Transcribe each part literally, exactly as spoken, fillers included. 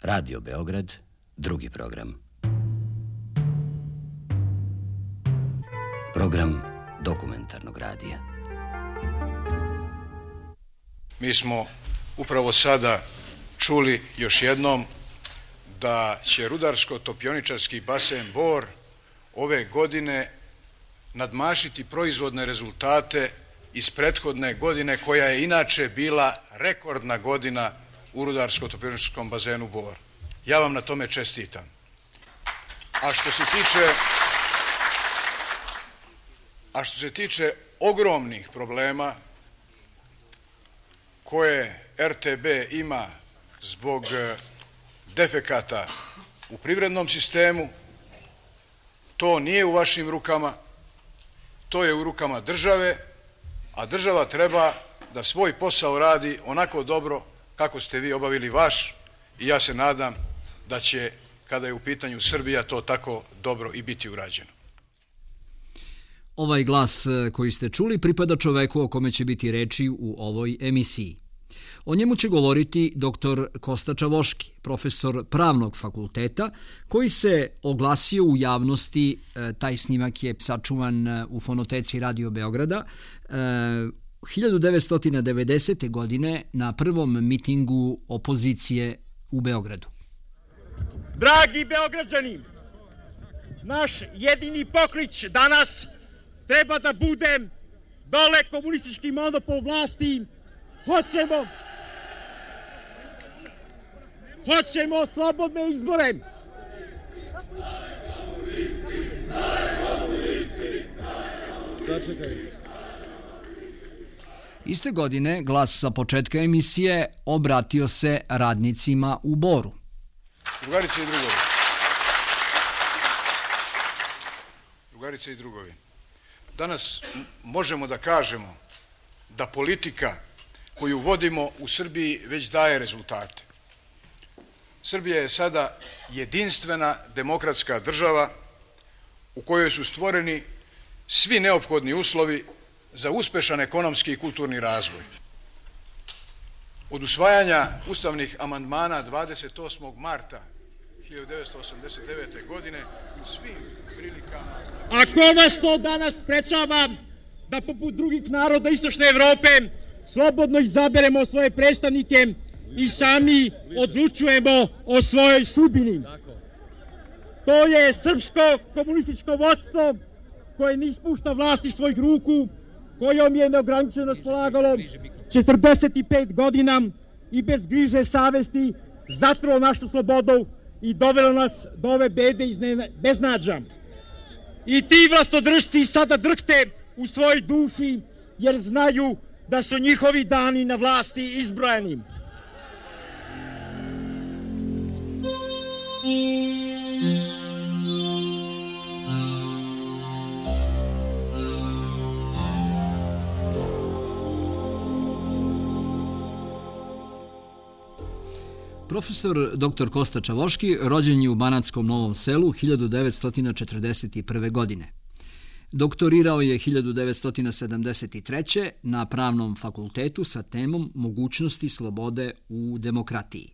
Radio Beograd, drugi program. Program dokumentarnog radija. Mi smo upravo sada čuli još jednom da će rudarsko-topioničarski basen Bor ove godine nadmašiti proizvodne rezultate iz prethodne godine, koja je inače bila rekordna godina u rudarsko-topioničarskom bazenu Bor. Ja vam na tome čestitam. A što se tiče, a što se tiče ogromnih problema koje R T B ima zbog defekata u privrednom sistemu, to nije u vašim rukama, to je u rukama države, a država treba da svoj posao radi onako dobro kako ste vi obavili vaš, i ja se nadam da će, kada je u pitanju Srbija, to tako dobro i biti urađeno. Ovaj glas koji ste čuli pripada čoveku o kome će biti reči u ovoj emisiji. O njemu će govoriti doktor Kosta Čavoški, profesor Pravnog fakulteta, koji se oglasio u javnosti. Taj snimak je sačuvan u fonoteci Radio Beograda hiljadu devetsto devedesete. godine na prvom mitingu opozicije u Beogradu. Dragi Beograđani, naš jedini poklič danas treba da bude dole komunistički monopol vlasti. Hoćemo Hoćemo slobodne izbore. Iste godine glas sa početka emisije obratio se radnicima u Boru. Drugarice i drugovi. Drugarice i drugovi. Danas možemo da kažemo da politika koju vodimo u Srbiji već daje rezultate. Srbija je sada jedinstvena demokratska država u kojoj su stvoreni svi neophodni uslovi za uspešan ekonomski i kulturni razvoj. Od usvajanja ustavnih amandmana dvadeset osmog marta hiljadu devetsto osamdeset devete. godine u svim prilikama... A ko nas to danas sprečava da poput drugih naroda Istočne Evrope slobodno izaberemo svoje predstavnike i sami odlučujemo o svojoj sudbini? To je srpsko komunističko vodstvo koje ne ispušta vlast iz svojih ruku, kojom je neograničeno raspolagalo četrdeset pet godina i bez griže savesti zatrulo našu slobodu i dovelo nas do ove bede iz beznađa. I ti vlastodržci sada drhte u svojoj duši, jer znaju da su njihovi dani na vlasti izbrojeni. Profesor doktor Kosta Čavoški rođen je u Banatskom Novom Selu hiljadu devetsto četrdeset prve. godine. Doktorirao je hiljadu devetsto sedamdeset treće. na Pravnom fakultetu sa temom Mogućnosti slobode u demokratiji.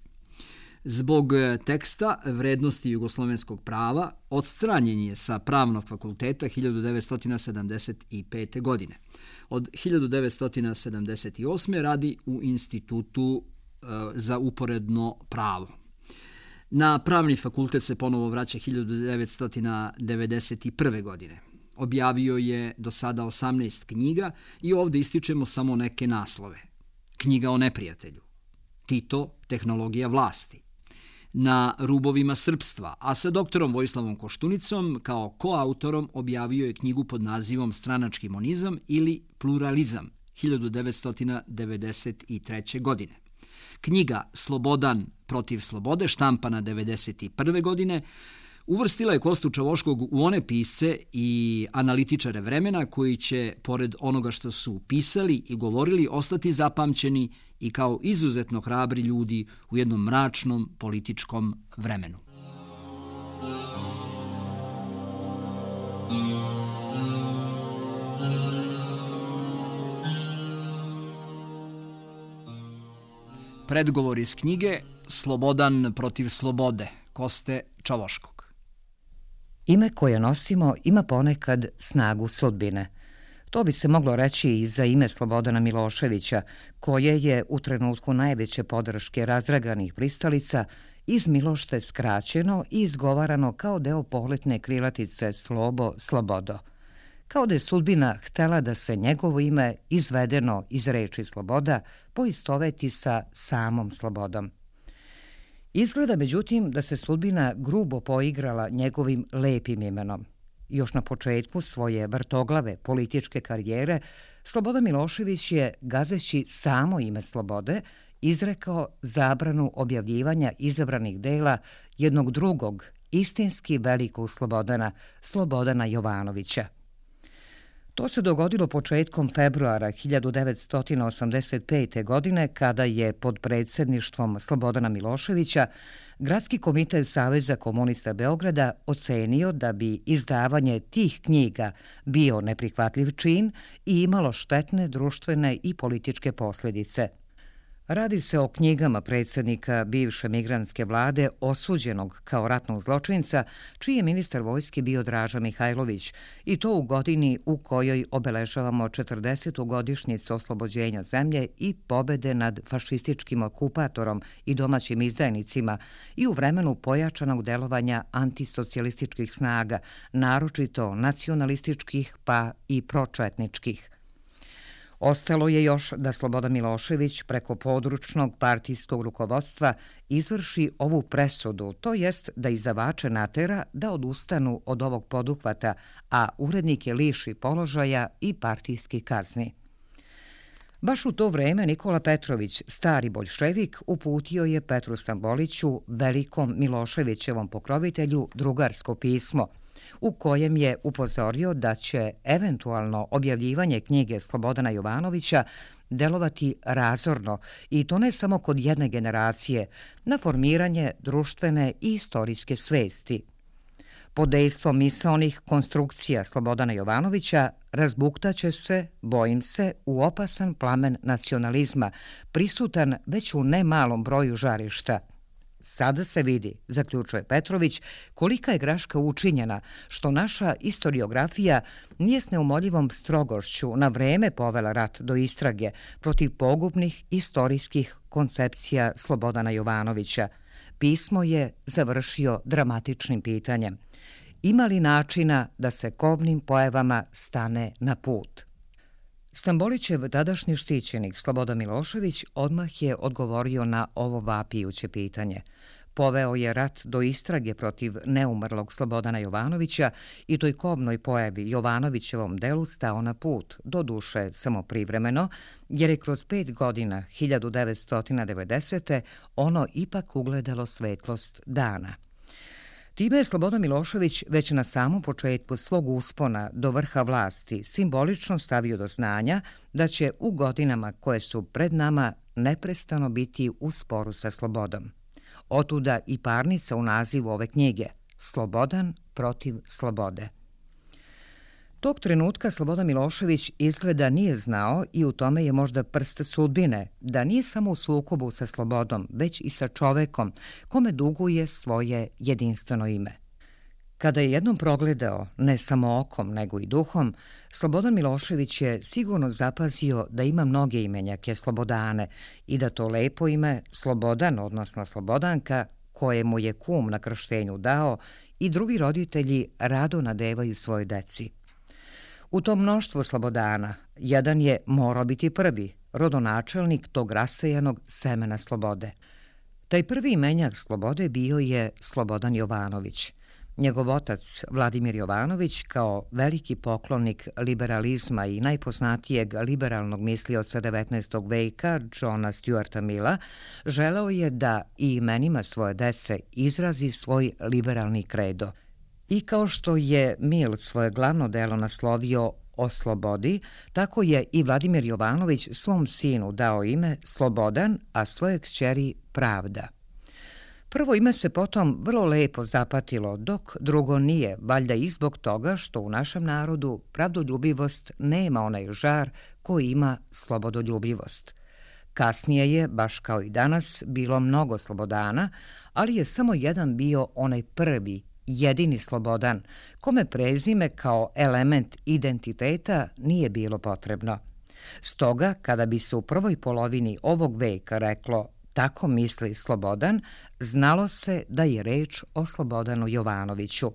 Zbog teksta Vrednosti jugoslovenskog prava odstranjen je sa Pravnog fakulteta hiljadu devetsto sedamdeset pete. godine. Od hiljadu devetsto sedamdeset osme. radi u Institutu za uporedno pravo. Na Pravni fakultet se ponovo vraća hiljadu devetsto devedeset prve. godine. Objavio je do sada osamnaest knjiga i ovdje ističemo samo neke naslove. Knjiga o neprijatelju, Tito, tehnologija vlasti, Na rubovima srpstva, a sa doktorom Vojislavom Koštunicom kao koautorom objavio je knjigu pod nazivom Stranački monizam ili pluralizam hiljadu devetsto devedeset treće. godine. Knjiga Slobodan protiv slobode, štampana devedeset prve. godine, uvrstila je Kostu Čavoškog u one pisce i analitičare vremena koji će, pored onoga što su pisali i govorili, ostati zapamćeni i kao izuzetno hrabri ljudi u jednom mračnom političkom vremenu. Predgovor iz knjige Slobodan protiv slobode, Koste Čavoškog. Ime koje nosimo ima ponekad snagu sudbine. To bi se moglo reći i za ime Slobodana Miloševića, koje je u trenutku najveće podrške razdraganih pristalica iz Milošte skraćeno i izgovarano kao deo pohlepne krilatice Slobo, Slobodo. Kao da je sudbina htela da se njegovo ime, izvedeno iz reči sloboda, poistoveti sa samom slobodom. Izgleda, međutim, da se sudbina grubo poigrala njegovim lepim imenom. Još na početku svoje vrtoglave političke karijere, Slobodan Milošević je, gazeći samo ime slobode, izrekao zabranu objavljivanja izabranih dela jednog drugog, istinski velikog Slobodana, Slobodana Jovanovića. To se dogodilo početkom februara hiljadu devetsto osamdeset pete. godine, kada je pod predsjedništvom Slobodana Miloševića Gradski komitet Saveza komunista Beograda ocenio da bi izdavanje tih knjiga bio neprihvatljiv čin i imalo štetne društvene i političke posljedice. Radi se o knjigama predsjednika bivše migrantske vlade osuđenog kao ratnog zločinca, čiji je ministar vojske bio Draža Mihajlović, i to u godini u kojoj obeležavamo četrdesetu godišnjicu oslobođenja zemlje i pobede nad fašističkim okupatorom i domaćim izdajnicima i u vremenu pojačanog delovanja antisocijalističkih snaga, naročito nacionalističkih pa i pročetničkih. Ostalo je još da Slobodan Milošević preko područnog partijskog rukovodstva izvrši ovu presudu, to jest da izdavače natera da odustanu od ovog poduhvata, a urednike liši položaja i partijski kazni. Baš u to vreme Nikola Petrović, stari boljševik, uputio je Petru Stamboliću, velikom Miloševićevom pokrovitelju, drugarsko pismo, u kojem je upozorio da će eventualno objavljivanje knjige Slobodana Jovanovića delovati razorno, i to ne samo kod jedne generacije, na formiranje društvene i istorijske svesti. Pod dejstvom misaonih konstrukcija Slobodana Jovanovića razbuktaće se, bojim se, u opasan plamen nacionalizma, prisutan već u nemalom broju žarišta. Sada se vidi, zaključuje Petrović, kolika je greška učinjena što naša istoriografija nije s neumoljivom strogošću na vreme povela rat do istrage protiv pogubnih istorijskih koncepcija Slobodana Jovanovića. Pismo je završio dramatičnim pitanjem: ima li načina da se kobnim pojavama stane na put? Stambolićev tadašnji štićenik Slobodan Milošević odmah je odgovorio na ovo vapijuće pitanje. Poveo je rat do istrage protiv neumrlog Slobodana Jovanovića i toj kobnoj pojavi Jovanovićevom delu stao na put, doduše samo privremeno, jer je kroz pet godina hiljadu devetsto devedesete. ono ipak ugledalo svetlost dana. Time je Slobodan Milošević već na samom početku svog uspona do vrha vlasti simbolično stavio do znanja da će u godinama koje su pred nama neprestano biti u sporu sa slobodom. Otuda i parnica u nazivu ove knjige: Slobodan protiv slobode. Tog trenutka Slobodan Milošević izgleda nije znao, i u tome je možda prst sudbine, da nije samo u sukobu sa slobodom, već i sa čovekom, kome duguje svoje jedinstveno ime. Kada je jednom progledao, ne samo okom, nego i duhom, Slobodan Milošević je sigurno zapazio da ima mnoge imenjake Slobodane i da to lepo ime Slobodan, odnosno Slobodanka, koje mu je kum na krštenju dao, i drugi roditelji rado nadevaju svojoj deci. U tom mnoštvu Slobodana jedan je morao biti prvi, rodonačelnik tog rasejanog semena slobode. Taj prvi imenjak slobode bio je Slobodan Jovanović. Njegov otac, Vladimir Jovanović, kao veliki poklonik liberalizma i najpoznatijeg liberalnog mislioca devetnaestog veka, Johna Stuarta Milla, želeo je da i imenima svoje dece izrazi svoj liberalni kredo. I kao što je Mill svoje glavno delo naslovio O slobodi, tako je i Vladimir Jovanović svom sinu dao ime Slobodan, a svoje kćeri Pravda. Prvo ime se potom vrlo lepo zapatilo, dok drugo nije, valjda i zbog toga što u našem narodu pravdoljubivost nema onaj žar koji ima slobodoljubivost. Kasnije je, baš kao i danas, bilo mnogo Slobodana, ali je samo jedan bio onaj prvi, jedini Slobodan, kome prezime kao element identiteta nije bilo potrebno. Stoga, kada bi se u prvoj polovini ovog veka reklo tako misli Slobodan, znalo se da je reč o Slobodanu Jovanoviću.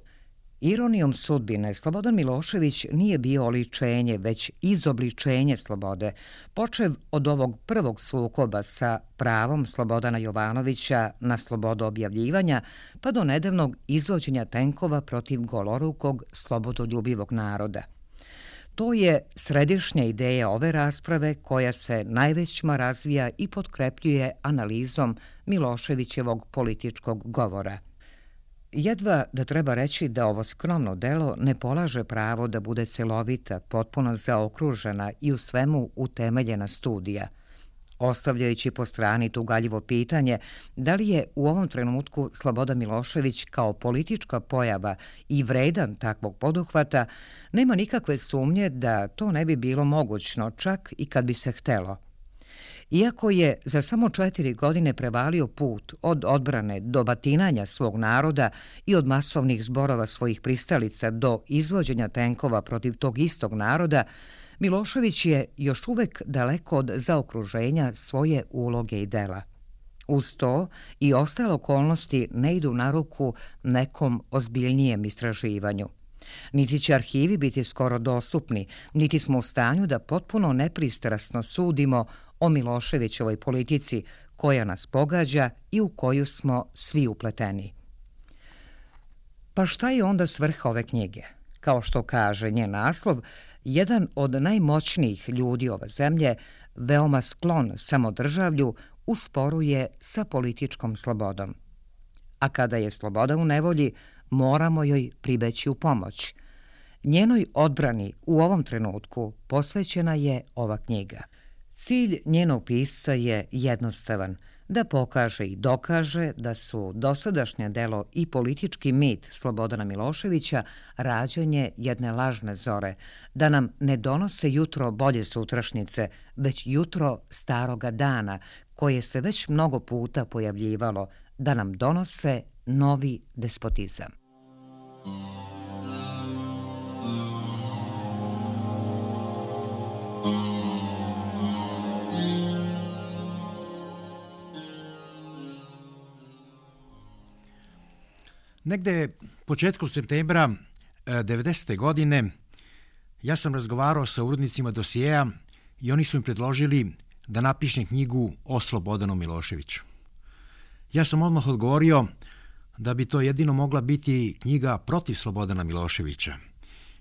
Ironijom sudbine, Slobodan Milošević nije bio oličenje, već izobličenje slobode, počev od ovog prvog sukoba sa pravom Slobodana Jovanovića na slobodu objavljivanja, pa do nedavnog izvođenja tenkova protiv golorukog slobodoljubivog naroda. To je središnja ideja ove rasprave koja se najvećma razvija i potkrepljuje analizom Miloševićevog političkog govora. Jedva da treba reći da ovo skromno delo ne polaže pravo da bude celovita, potpuno zaokružena i u svemu utemeljena studija. Ostavljajući po strani tugaljivo pitanje da li je u ovom trenutku Slobodan Milošević kao politička pojava i vredan takvog poduhvata, nema nikakve sumnje da to ne bi bilo mogućno, čak i kad bi se htelo. Iako je za samo četiri godine prevalio put od odbrane do batinanja svog naroda i od masovnih zborova svojih pristalica do izvođenja tenkova protiv tog istog naroda, Milošević je još uvek daleko od zaokruženja svoje uloge i dela. Uz to i ostale okolnosti ne idu na ruku nekom ozbiljnijem istraživanju. Niti će arhivi biti skoro dostupni, niti smo u stanju da potpuno nepristrasno sudimo o Miloševićevoj politici koja nas pogađa i u koju smo svi upleteni. Pa šta je onda svrha ove knjige? Kao što kaže njen naslov, jedan od najmoćnijih ljudi ove zemlje, veoma sklon samodržavlju, usporuje sa političkom slobodom. A kada je sloboda u nevolji, moramo joj pribeći u pomoć. Njenoj odbrani u ovom trenutku posvećena je ova knjiga. Cilj njenog pisca je jednostavan, da pokaže i dokaže da su dosadašnje delo i politički mit Slobodana Miloševića rađanje jedne lažne zore, da nam ne donose jutro bolje sutrašnjice, već jutro staroga dana, koje se već mnogo puta pojavljivalo, da nam donose novi despotizam. Negde početkom septembra devedesete godine ja sam razgovarao sa urednicima dosijeja i oni su mi predložili da napišem knjigu o Slobodanu Miloševiću. Ja sam odmah odgovorio da bi to jedino mogla biti knjiga protiv Slobodana Miloševića,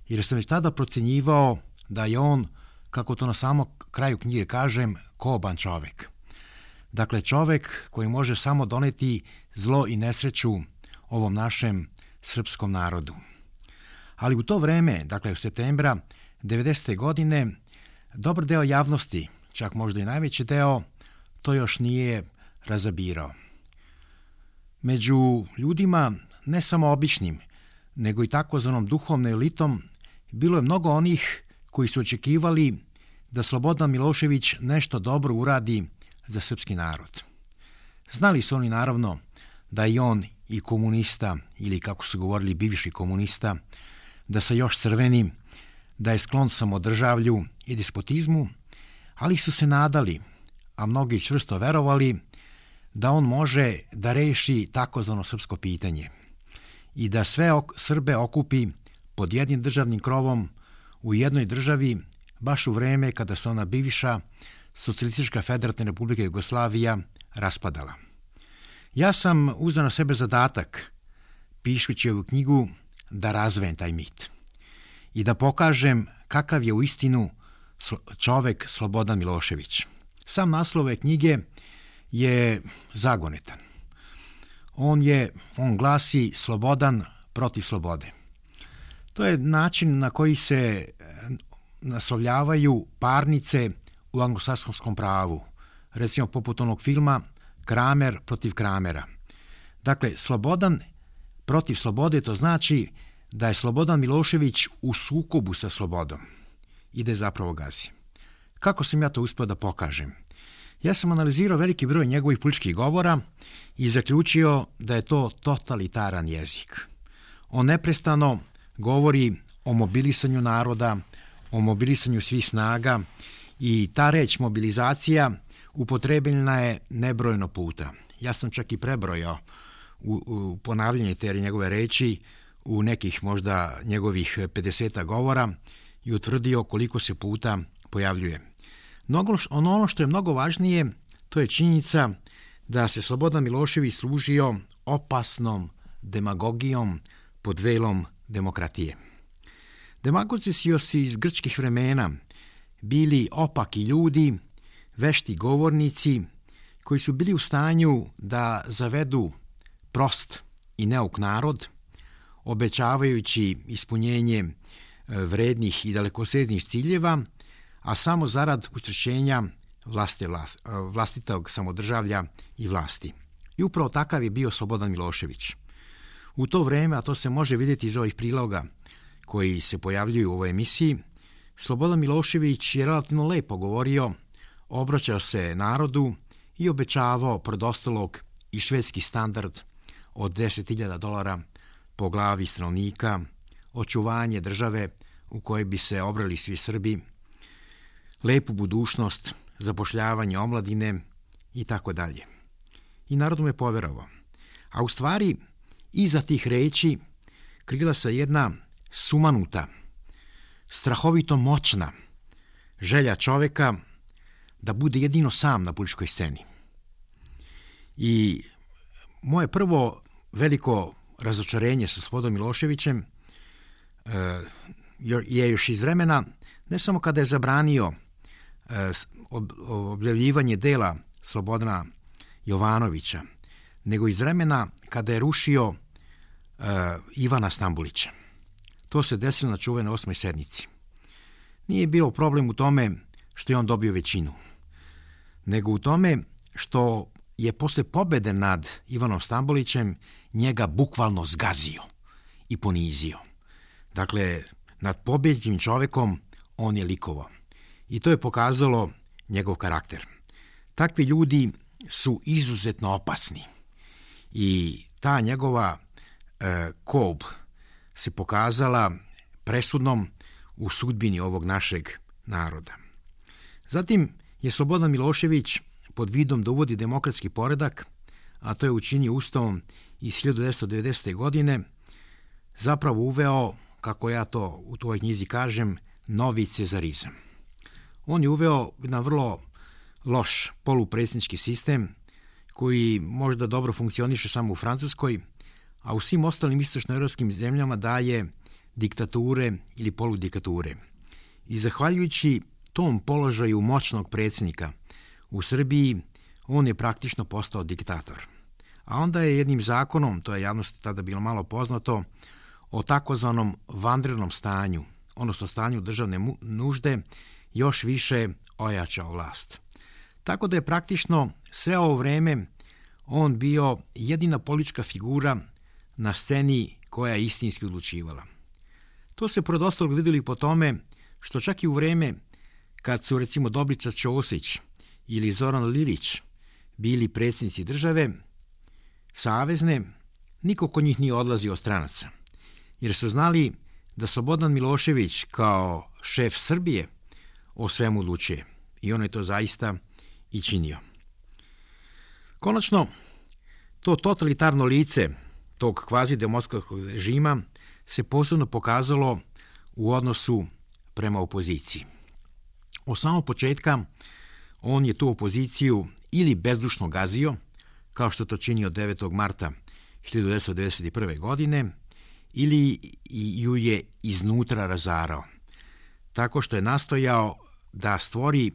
jer sam već tada procenjivao da je on, kako to na samom kraju knjige kažem, koban čovek. Dakle, čovek koji može samo doneti zlo i nesreću ovom našem srpskom narodu. Ali u to vreme, dakle u septembra devedesete godine, dobar deo javnosti, čak možda i najveći deo, to još nije razabirao. Među ljudima, ne samo običnim, nego i takozvanom duhovnom elitom, bilo je mnogo onih koji su očekivali da Slobodan Milošević nešto dobro uradi za srpski narod. Znali su oni naravno da i on i komunista, ili kako su govorili bivši komunista, da se još crveni, da je sklon samodržavlju i despotizmu, ali su se nadali, a mnogi čvrsto verovali, da on može da reši takozvano srpsko pitanje i da sve Srbe okupi pod jednim državnim krovom u jednoj državi, baš u vreme kada se ona bivša Socijalistička federativna republika Jugoslavija raspadala. Ja sam uzeo na sebe zadatak, pišući ovu knjigu, da razvejem taj mit i da pokažem kakav je uistinu čovek Slobodan Milošević. Sam naslov ove knjige je zagonetan. On je, on glasi Slobodan protiv slobode. To je način na koji se naslovljavaju parnice u anglosaksonskom pravu, recimo poput onog filma Kramer protiv Kramera. Dakle, Slobodan protiv slobode, to znači da je Slobodan Milošević u sukobu sa slobodom i da je zapravo gazi. Kako sam ja to uspio da pokažem? Ja sam analizirao veliki broj njegovih političkih govora i zaključio da je to totalitaran jezik. On neprestano govori o mobilisanju naroda, o mobilisanju svih snaga i ta reč mobilizacija upotrebljena je nebrojeno puta. Ja sam čak i prebrojao u, u ponavljanje te njegove reči u nekih možda njegovih pedeseta govora i utvrdio koliko se puta pojavljuje. Mnogo, ono što je mnogo važnije, to je činjenica da se Slobodan Milošević služio opasnom demagogijom pod velom demokratije. Demagozi su još iz grčkih vremena bili opaki ljudi, vešti govornici koji su bili u stanju da zavedu prost i neuk narod, obećavajući ispunjenje vrednih i dalekosežnih ciljeva, a samo zarad učvršćenja vlasti, vlast, vlastitog samodržavlja i vlasti. I upravo takav je bio Slobodan Milošević. U to vreme, a to se može vidjeti iz ovih priloga koji se pojavljuju u ovoj emisiji, Slobodan Milošević je relativno lepo govorio, obraćao se narodu i obećavao pored ostalog i švedski standard od deset hiljada dolara po glavi stanovnika, očuvanje države u kojoj bi se obrali svi Srbi, lepu budućnost, zapošljavanje omladine i tako dalje. I narod mu je poverovao. A u stvari, iza tih reči krila se jedna sumanuta, strahovito moćna želja čoveka da bude jedino sam na političkoj sceni. I moje prvo veliko razočarenje sa Slobodom Miloševićem je još iz vremena, ne samo kada je zabranio objavljivanje dela Slobodana Jovanovića, nego iz vremena kada je rušio uh, Ivana Stambolića. To se desilo na čuvenoj osmoj sednici. Nije bio problem u tome što je on dobio većinu, nego u tome što je posle pobede nad Ivanom Stambolićem njega bukvalno zgazio i ponizio. Dakle, nad pobjeđenim čovekom on je likovao. I to je pokazalo njegov karakter. Takvi ljudi su izuzetno opasni i ta njegova e, kob se pokazala presudnom u sudbini ovog našeg naroda. Zatim je Slobodan Milošević pod vidom da uvodi demokratski poredak, a to je učinio Ustavom iz hiljadu devetsto devedesete. godine, zapravo uveo, kako ja to u tvojoj knjizi kažem, novi cezarizam. On je uveo jedan vrlo loš polupredsjednički sistem koji možda dobro funkcioniše samo u Francuskoj, a u svim ostalim istočnoevropskim zemljama daje diktature ili poludiktature. I zahvaljujući tom položaju moćnog predsjednika u Srbiji, on je praktično postao diktator. A onda je jednim zakonom, to je javnosti tada bilo malo poznato, o takozvanom vanrednom stanju, odnosno stanju državne nužde, još više ojačao vlast. Tako da je praktično sve ovo vreme on bio jedina politička figura na sceni koja je istinski odlučivala. To se pored ostalog vidjeli po tome što čak i u vreme kad su recimo Dobrica Ćosić ili Zoran Lilić bili predsjednici države savezne, niko kod njih nije odlazio od stranaca, jer su znali da Slobodan Milošević kao šef Srbije o svemu odlučuje i on je to zaista i činio. Konačno, to totalitarno lice tog kvazi demokratskog režima se posebno pokazalo u odnosu prema opoziciji. Od samog početka on je tu opoziciju ili bezdušno gazio, kao što to činio devetog marta hiljadu devetsto devedeset prve. godine, ili ju je iznutra razarao, tako što je nastojao da stvori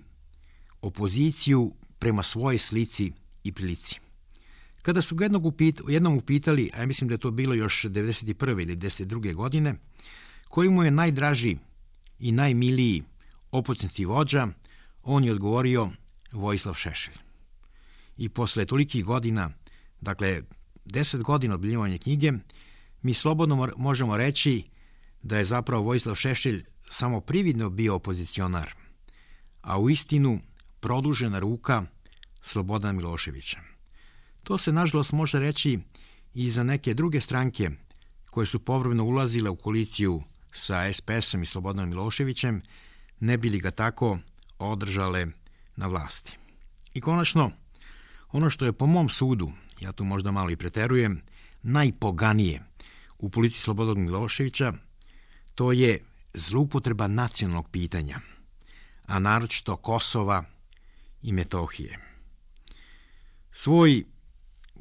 opoziciju prema svojoj slici i prilici. Kada su ga jednog upit, jednom upitali, a ja mislim da je to bilo još devedeset prve ili devedeset druge. godine, koji mu je najdraži i najmiliji opozicijski vođa, on je odgovorio Vojislav Šešelj. I posle tolikih godina, dakle deset godina objavljivanja knjige, mi slobodno možemo reći da je zapravo Vojislav Šešelj samo prividno bio opozicionar, a u istinu produžena ruka Slobodana Miloševića. To se, nažalost, može reći i za neke druge stranke koje su povremeno ulazile u koaliciju sa es pe esom i Slobodanom Miloševićem, ne bi li ga tako održale na vlasti. I konačno, ono što je po mom sudu, ja tu možda malo i preterujem, najpoganije u politici Slobodana Miloševića, to je zloupotreba nacionalnog pitanja, a naročito Kosova i Metohije. Svoj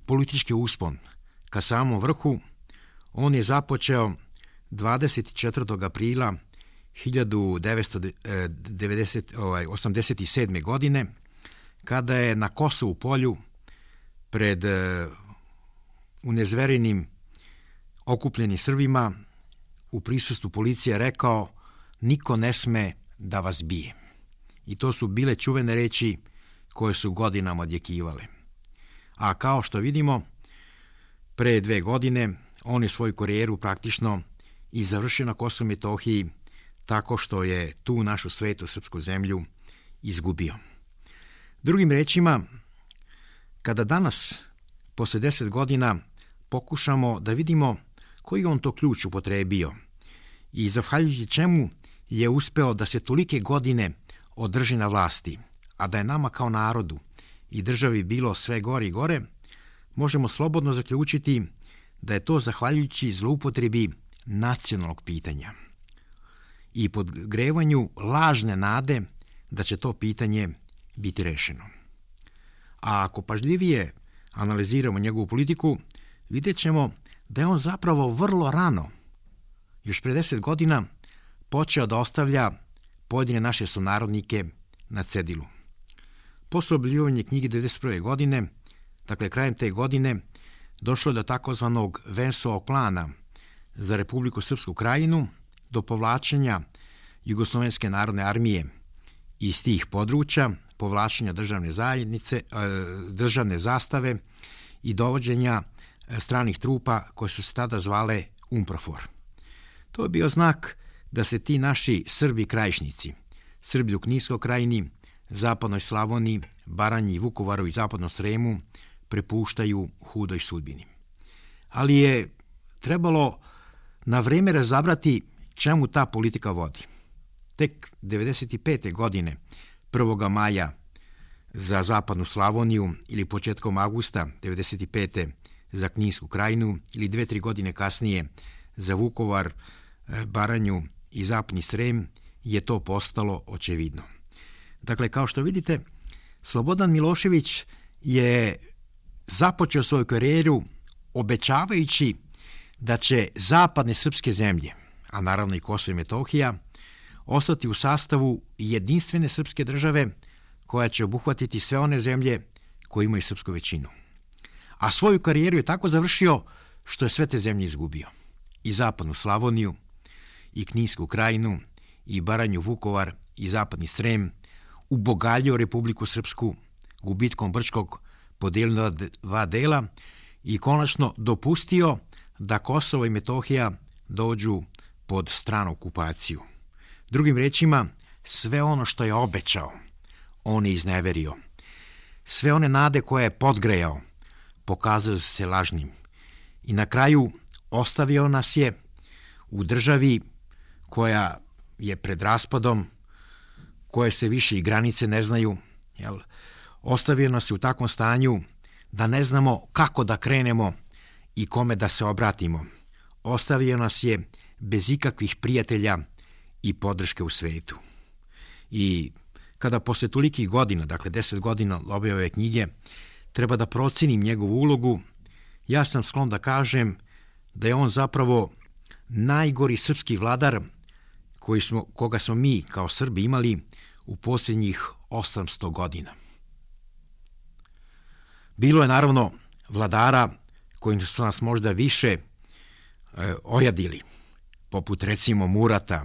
politički uspon ka samom vrhu on je započeo dvadeset četvrtog aprila hiljadu devetsto osamdeset sedme. godine, kada je na Kosovu polju pred unezverenim okupljenim Srbima u prisustvu policije rekao: niko ne sme da vas bije. I to su bile čuvene reči koje su godinama odjekivale. A kao što vidimo, pre dve godine on je svoju karijeru praktično i završio na Kosovu i Metohiji tako što je tu našu svetu srpsku zemlju izgubio. Drugim rečima, kada danas, posle deset godina, pokušamo da vidimo koji on to ključ upotrebio i zahvaljujući čemu je uspeo da se tolike godine održi na vlasti, a da je nama kao narodu i državi bilo sve gore i gore, možemo slobodno zaključiti da je to zahvaljujući zloupotrebi nacionalnog pitanja i podgrevanju lažne nade da će to pitanje biti rešeno. A ako pažljivije analiziramo njegovu politiku, vidjet ćemo da je on zapravo vrlo rano, još pre deset godina, počeo da ostavlja pojedine naše sunarodnike na cedilu. Posle objavljivanja knjige devedeset prve. godine, dakle krajem te godine, došlo je do takozvanog Vensovog plana za Republiku Srpsku Krajinu, do povlačenja Jugoslovenske narodne armije iz tih područja, povlačenja državne zajednice, državne zastave i dovođenja stranih trupa koje su se tada zvale UNPROFOR. To je bio znak da se ti naši Srbi krajišnici, Srbi u Kninskoj krajini, Zapadnoj Slavoniji, Baranji, Vukovaru i Zapadnom Sremu prepuštaju hudoj sudbini. Ali je trebalo na vreme razabrati čemu ta politika vodi. Tek devedeset pete. godine, prvog maja za Zapadnu Slavoniju ili početkom avgusta devedeset pete. za Kninsku krajinu ili dve, tri godine kasnije za Vukovar, Baranju i Zapadni Srem je to postalo očevidno. Dakle, kao što vidite, Slobodan Milošević je započeo svoju karijeru obećavajući da će zapadne srpske zemlje, a naravno i Kosovo i Metohija, ostati u sastavu jedinstvene srpske države koja će obuhvatiti sve one zemlje koje imaju srpsku većinu. A svoju karijeru je tako završio što je sve te zemlje izgubio. I Zapadnu Slavoniju, i Kninsku krajinu, i Baranju, Vukovar, i Zapadni Srem, ubogaljio Republiku Srpsku, gubitkom Brčkog podelio na dva dela i konačno dopustio da Kosovo i Metohija dođu pod stranu okupaciju. Drugim rečima, sve ono što je obećao, on je izneverio. Sve one nade koje je podgrejao, pokazali su se lažnim. I na kraju ostavio nas je u državi koja je pred raspadom, koje se više i granice ne znaju. Jel? Ostavio nas je u takvom stanju da ne znamo kako da krenemo i kome da se obratimo. Ostavio nas je bez ikakvih prijatelja i podrške u svetu. I kada posle tolikih godina, dakle deset godina objave ove knjige, treba da procenim njegovu ulogu, ja sam sklon da kažem da je on zapravo najgori srpski vladar koji smo, koga smo mi kao Srbi imali u posljednjih osamsto godina. Bilo je naravno vladara koji su nas možda više e, ojadili, poput recimo Murata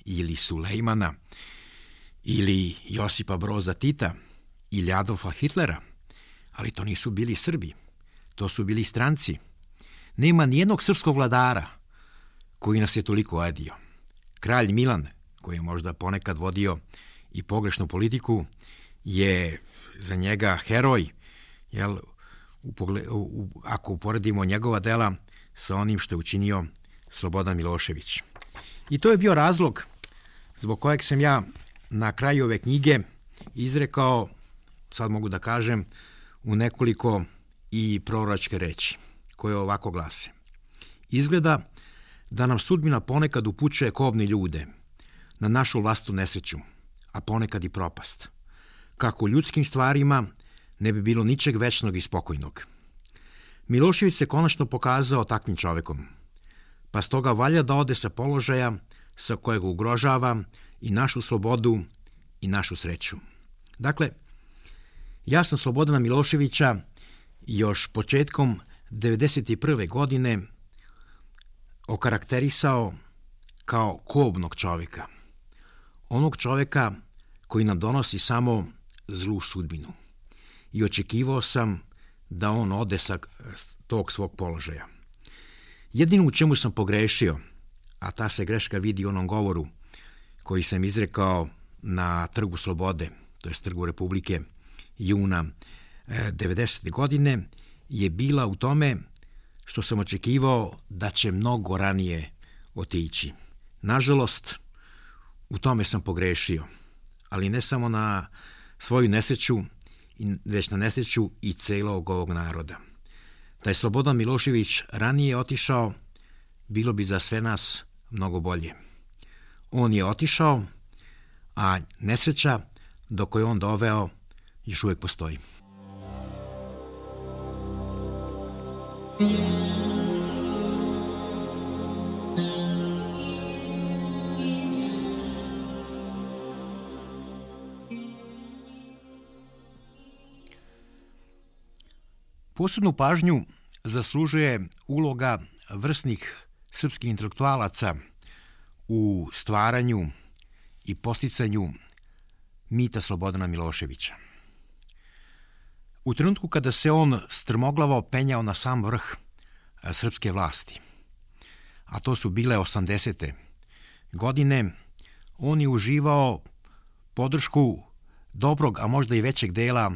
ili Sulejmana ili Josipa Broza Tita ili Adolfa Hitlera, ali to nisu bili Srbi, to su bili stranci. Nema nijednog srpskog vladara koji nas je toliko ojadio. Kralj Milan, koji je možda ponekad vodio i pogrešnu politiku, je za njega heroj, jel, u pogled, u, ako uporedimo njegova dela sa onim što je učinio Slobodan Milošević. I to je bio razlog zbog kojeg sam ja na kraju ove knjige izrekao, sad mogu da kažem, u nekoliko i proročke reči, koje ovako glase. Izgleda da nam sudbina ponekad upućuje kobne ljude na našu vlastitu nesreću, a ponekad i propast. Kako u ljudskim stvarima ne bi bilo ničeg večnog i spokojnog. Milošević se konačno pokazao takvim čovekom, pa stoga valja da ode sa položaja sa kojeg ugrožava i našu slobodu i našu sreću. Dakle, ja sam Slobodana Miloševića još početkom devedeset prve. godine okarakterisao kao kobnog čoveka. Onog čoveka koji nam donosi samo zlu sudbinu. I očekivao sam da on ode sa tog svog položaja. Jedino u čemu sam pogrešio, a ta se greška vidi u onom govoru koji sam izrekao na Trgu Slobode, to je Trgu Republike, juna devedesete. godine, je bila u tome što sam očekivao da će mnogo ranije otići. Nažalost, u tome sam pogrešio, ali ne samo na svoju nesreću, već na nesreću i celog ovog naroda. Da je Slobodan Milošević ranije otišao, bilo bi za sve nas mnogo bolje. On je otišao, a nesreća do koje on doveo još uvijek postoji. Posebnu pažnju zaslužuje uloga vrsnih srpskih intelektualaca u stvaranju i posticanju mita Slobodana Miloševića. U trenutku kada se on strmoglavo penjao na sam vrh srpske vlasti, a to su bile osamdesete. godine, on je uživao podršku dobrog, a možda i većeg dela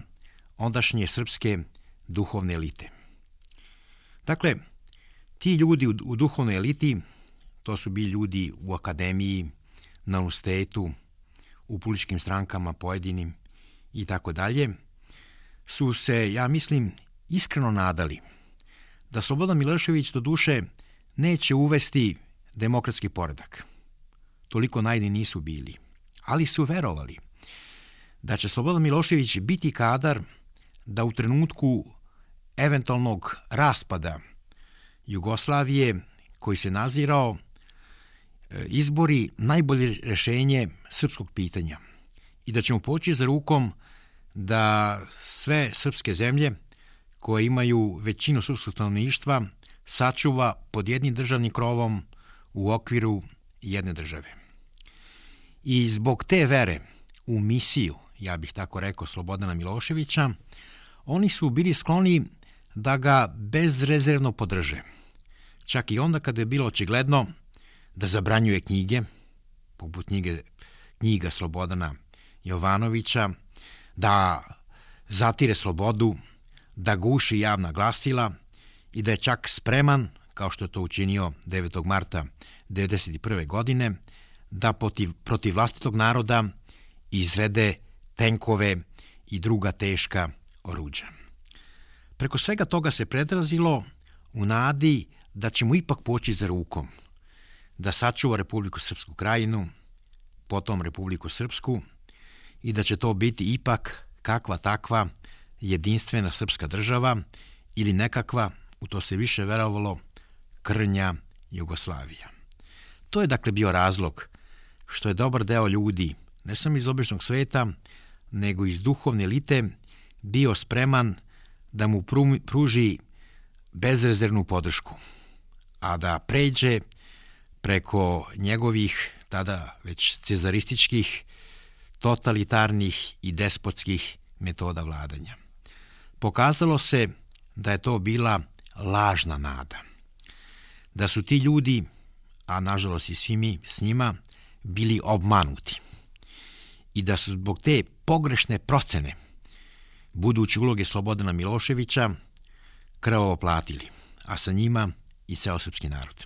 ondašnje srpske duhovne elite. Dakle, ti ljudi u, u duhovnoj eliti, to su bili ljudi u akademiji, na univerzitetu, u političkim strankama pojedinim i tako dalje, su se, ja mislim, iskreno nadali da Slobodan Milošević do duše neće uvesti demokratski poredak. Toliko naivni nisu bili, ali su verovali da će Slobodan Milošević biti kadar da u trenutku eventualnog raspada Jugoslavije, koji se nazirao, izbori najbolje rešenje srpskog pitanja i da ćemo poći za rukom da sve srpske zemlje koje imaju većinu srpskog stanovništva sačuva pod jednim državnim krovom u okviru jedne države. I zbog te vere u misiju, ja bih tako rekao, Slobodana Miloševića, oni su bili skloni da ga bezrezervno podrže. Čak i onda kada je bilo očigledno da zabranjuje knjige, poput knjige, knjiga Slobodana Jovanovića, da zatire slobodu, da guši javna glasila i da je čak spreman, kao što je to učinio devetog marta devedeset prve. godine, da protiv, protiv vlastitog naroda izvede tenkove i druga teška oruđa. Preko svega toga se predrazilo u nadi da će mu ipak poći za rukom, da sačuva Republiku Srpsku Krajinu, potom Republiku Srpsku i da će to biti ipak kakva takva jedinstvena srpska država ili nekakva, u to se više verovalo, krnja Jugoslavija. To je dakle bio razlog što je dobar deo ljudi, ne samo iz običnog sveta, nego iz duhovne elite, bio spreman da mu pruži bezrezervnu podršku, a da pređe preko njegovih tada već cezarističkih, totalitarnih i despotskih metoda vladanja. Pokazalo se da je to bila lažna nada, da su ti ljudi, a nažalost i svi mi s njima, bili obmanuti i da su zbog te pogrešne procene buduće uloge Slobodana Miloševića krvavo platili, a sa njima i ceo srpski narod.